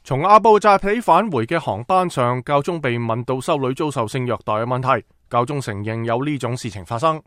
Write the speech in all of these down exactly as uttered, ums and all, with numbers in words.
從阿布扎比返回嘅航班上，教宗被問到修女遭受性虐待嘅問題，教宗承認有呢種事情發生。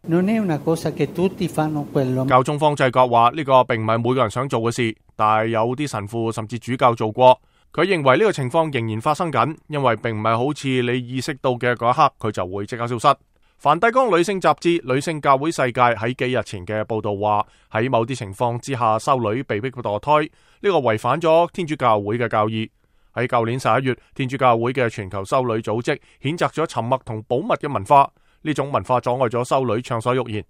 教宗方濟各話呢個並唔係每個人想做嘅事，但係有啲神父甚至主教做過。佢認為呢個情況仍然發生緊，因為並唔係好似你意識到嘅嗰一刻，佢就會即刻消失。梵蒂岡女性雜誌《女性教會世界》喺幾日前嘅報道話，喺某啲情況之下，修女被迫墮胎，呢個違反咗天主教會嘅教義。喺舊年十一月，天主教會嘅全球修女組織譴責咗沉默同保密嘅文化，呢種文化阻礙咗修女暢所欲言。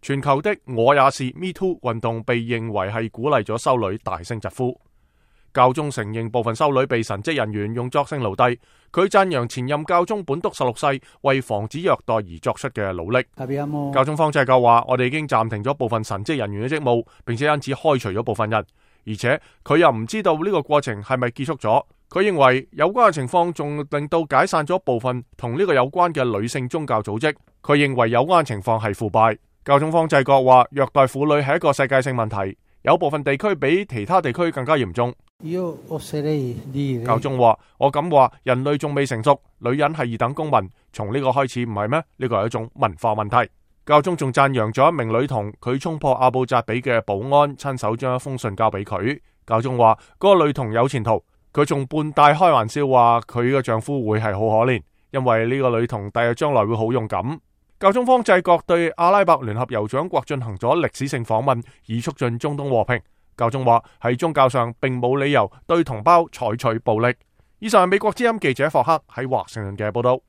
全球的我也是 Me Too 運動被認為係鼓勵咗修女大聲疾呼。教宗承認部分修女被神職人員用作性奴隸，佢讚揚前任教宗本篤十六世為防止虐待而作出嘅努力。教宗方濟各話：我哋已經暫停咗部分神職人員嘅職務，並且因此開除咗部分人，而且佢又唔知道呢個過程係咪結束咗。佢認為有關嘅情況仲令到解散咗部分同呢個有關嘅女性宗教組織。佢認為有關嘅情況係腐敗。教宗方濟各話：虐待婦女係一個世界性問題，有部分地區比其他地區更加嚴重。教宗話：我敢話人類仲未成熟，女人係二等公民，從呢個開始唔係咩？呢個係一種文化問題。教宗仲讚揚咗一名女童，佢衝破阿布扎比嘅保安，親手將一封信交俾佢。教宗話：嗰個女童有前途。佢仲半帶開玩笑話佢嘅丈夫會係好可憐，因為呢個女童第日將來會好勇敢。教宗方濟各對阿拉伯聯合酋長國進行咗歷史性訪問，以促進中東和平。教宗話喺宗教上並冇理由對同胞採取暴力。以上係美國之音記者霍克喺華盛頓嘅報道。